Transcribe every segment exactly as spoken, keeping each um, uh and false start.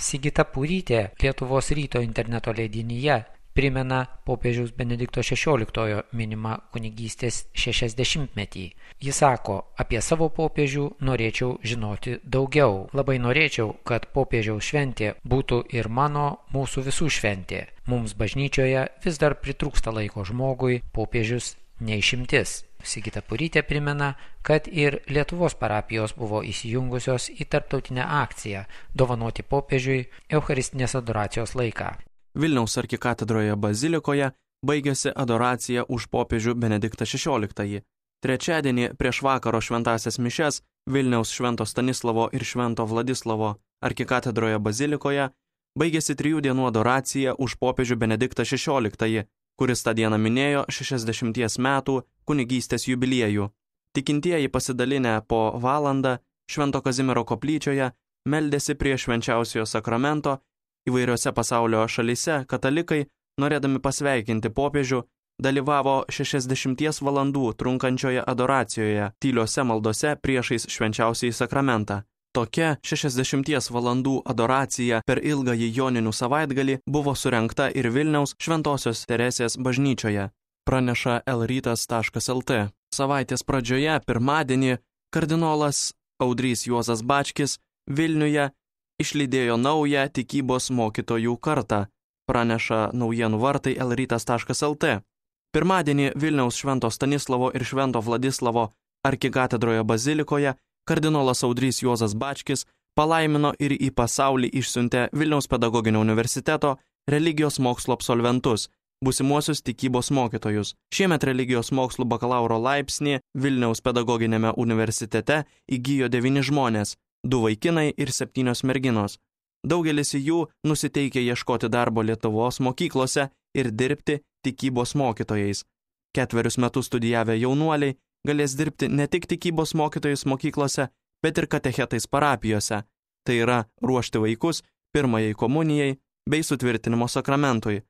Sigita Purytė Lietuvos ryto interneto leidinyje primena popiežiaus Benedikto šešioliktojo minimą kunigystės šešiasdešimtmetį. Jis sako, apie savo popiežių norėčiau žinoti daugiau. Labai norėčiau, kad popiežiaus šventė būtų ir mano, mūsų visų šventė. Mums bažnyčioje vis dar pritrūksta laiko žmogui, popiežius neišimtis. Sigita Purytė primena, kad ir Lietuvos parapijos buvo įsijungusios į tarptautinę akciją dovanoti popiežiui Eucharistinės adoracijos laiką. Vilniaus arkikatedroje bazilikoje baigėsi adoracija už popiežių Benediktą šešioliktąjį. Trečiadienį prieš vakaro šventąsias mišias Vilniaus Švento Stanislavo ir Švento Vladislavo arkikatedroje bazilikoje baigėsi trijų dienų adoracija už popiežių Benediktą šešioliktąjį, kuris tą dieną minėjo šešiasdešimties metų kunigystės jubiliejų. Tikintieji pasidalinę po valandą Švento Kazimiero koplyčioje meldėsi prie švenčiausiojo sakramento. Įvairiose pasaulio šalyse katalikai, norėdami pasveikinti popiežių, dalyvavo šešiasdešimties valandų trunkančioje adoracijoje, tyliose maldose priešais švenčiausiąjį sakramentą. Tokia šešiasdešimties valandų adoracija per ilgąjį joninių savaitgalį buvo surengta ir Vilniaus Šventosios Teresės bažnyčioje, praneša elrytas taškas lt. Savaitės pradžioje, pirmadienį, kardinolas Audrys Juozas Bačkis Vilniuje išlydėjo naują tikybos mokytojų kartą, praneša naujienų vartai elrytas taškas lt. Pirmadienį Vilniaus Švento Stanislavo ir Švento Vladislavo arkikatedroje bazilikoje kardinolas Audrys Juozas Bačkis palaimino ir į pasaulį išsiuntė Vilniaus pedagoginio universiteto religijos mokslo absolventus, būsimuosius tikybos mokytojus. Šiemet religijos mokslų bakalauro laipsnį Vilniaus pedagoginėme universitete įgijo devyni žmonės, du vaikinai ir septynios merginos. Daugelis jų nusiteikė ieškoti darbo Lietuvos mokyklose ir dirbti tikybos mokytojais. Ketverius metus studijavę jaunuoliai galės dirbti ne tik tikybos mokytojais mokyklose, bet ir katechetais parapijose. Tai yra ruošti vaikus pirmajai komunijai bei sutvirtinimo sakramentui,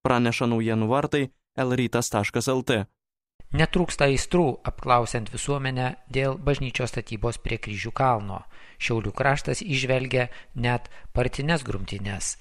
praneša naujienų vartai elrytas taškas lt. Netrūksta aistrų apklausiant visuomenę dėl bažnyčios statybos prie Kryžių kalno. Šiaulių kraštas įžvelgia net partines grumtynes.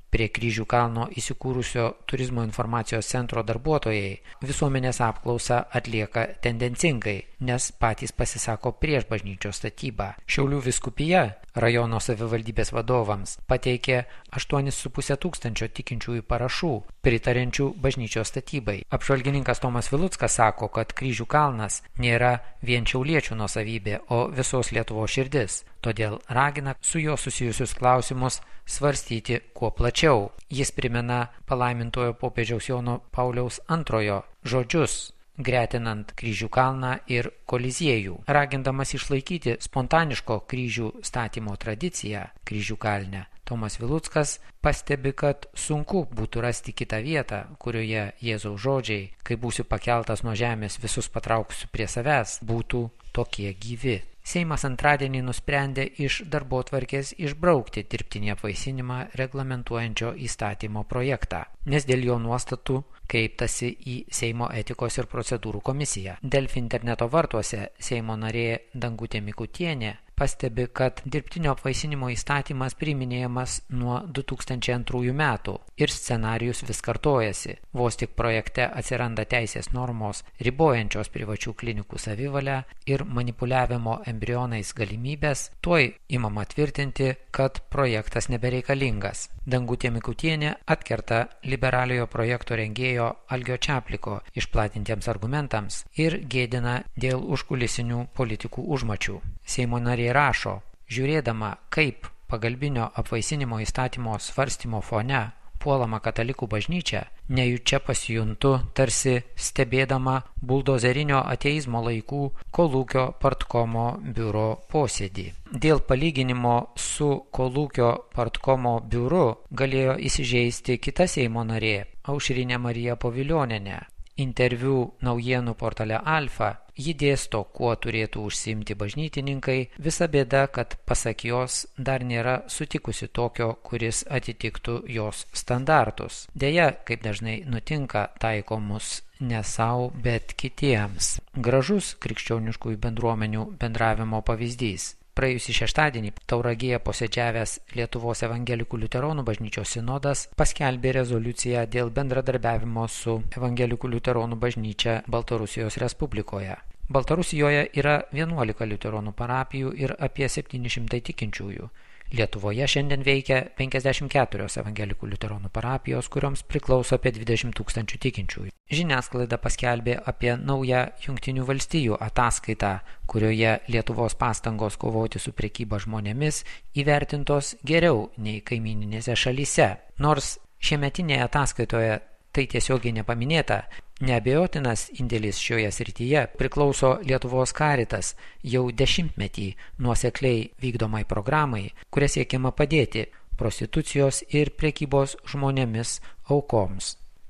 Prie Kryžių kalno įsikūrusio turizmo informacijos centro darbuotojai visuomenės apklausą atlieka tendencingai, nes patys pasisako prieš bažnyčios statybą. Šiaulių vyskupija rajono savivaldybės vadovams pateikė aštuonis su puse tūkstančio tikinčiųjų parašų pritarenčių bažnyčios statybai. Apžvalgininkas Tomas Viluckas sako, kad Kryžių kalnas nėra vien šiauliečių nuosavybė, o visos Lietuvos širdis. Todėl ragina su juo susijusius klausimus svarstyti kuo plačiau. Jis primena palaimintojo popiežiaus Jono Pauliaus antrojo žodžius, gretinant Kryžių kalną ir Koliziejų. Ragindamas išlaikyti spontaniško kryžių statymo tradiciją Kryžių kalne, Tomas Viluckas pastebi, kad sunku būtų rasti kitą vietą, kurioje Jėzaus žodžiai, kai būsiu pakeltas nuo žemės, visus patrauksiu prie savęs, būtų tokie gyvi. Seimas antradienį nusprendė iš darbotvarkės išbraukti dirbtinį apvaisinimą reglamentuojančio įstatymo projektą, nes dėl jo nuostatų kreiptasi į Seimo etikos ir procedūrų komisiją. Delfi interneto vartuose Seimo narė Dangutė Mikutienė pastebi, kad dirbtinio apvaisinimo įstatymas priiminėjamas nuo du tūkstančiai antrųjų metų ir scenarijus vis kartojasi. Vos tik projekte atsiranda teisės normos ribojančios privačių klinikų savivalę ir manipuliavimo embrionais galimybės, tuoj imama tvirtinti, kad projektas nebereikalingas. Dangutė Mikutienė atkerta liberaliojo projekto rengėjo Algio Čapliko išplatintiems argumentams ir gėdina dėl užkulisinių politikų užmačių. Seimo narė rašo, žiūrėdama, kaip pagalbinio apvaisinimo įstatymo svarstymo fone puolama katalikų bažnyčia, nejučia pasijuntu tarsi stebėdama buldozerinio ateizmo laikų Kolūkio partkomo biuro posėdį. Dėl palyginimo su Kolūkio partkomo biuru galėjo įsižeisti kita Seimo narė, Aušrinė Marija Povilionienė. Interviu naujienų portale Alfa ji dėsto, kuo turėtų užsiimti bažnytininkai, visa bėda, kad pasak jos dar nėra sutikusi tokio, kuris atitiktų jos standartus. Deja, kaip dažnai nutinka, taikomus ne sau, bet kitiems. Gražus krikščioniškųjų bendruomenių bendravimo pavyzdys. Praėjusį šeštadienį Tauragėje posėdžiavęs Lietuvos evangelikų liuteronų bažnyčios sinodas paskelbė rezoliuciją dėl bendradarbiavimo su evangelikų liuteronų bažnyčia Baltarusijos Respublikoje. Baltarusijoje yra vienuolika liuteronų parapijų ir apie septyni šimtai tikinčiųjų. Lietuvoje šiandien veikia penkiasdešimt keturios evangelikų liuteronų parapijos, kurioms priklauso apie dvidešimt tūkstančių tikinčiųjų. Žiniasklaida paskelbė apie naują Jungtinių valstijų ataskaitą, kurioje Lietuvos pastangos kovoti su prekyba žmonėmis įvertintos geriau nei kaimyninėse šalyse. Nors šiemetinėje ataskaitoje tai tiesiogiai nepaminėta, neabejotinas indėlis šioje srityje priklauso Lietuvos Caritas jau dešimtmetį nuosekliai vykdomai programai, kuria siekiama padėti prostitucijos ir prekybos žmonėmis aukoms.